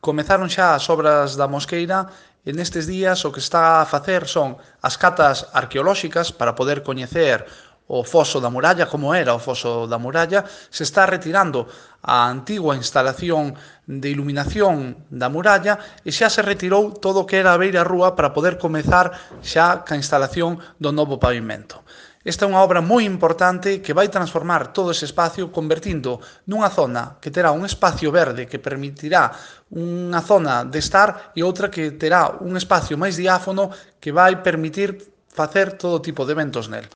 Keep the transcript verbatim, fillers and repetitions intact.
Comezaron xa as obras da Mosqueira e nestes días o que está a facer son as catas arqueolóxicas para poder coñecer o foso da muralla, como era o foso da muralla. Se está retirando a antigua instalación de iluminación da muralla e xa se retirou todo o que era a beira rúa para poder comezar xa ca instalación do novo pavimento. Esta é unha obra moi importante que vai transformar todo ese espacio convertindo nunha zona que terá un espacio verde que permitirá unha zona de estar e outra que terá un espacio máis diáfano que vai permitir facer todo tipo de eventos nel.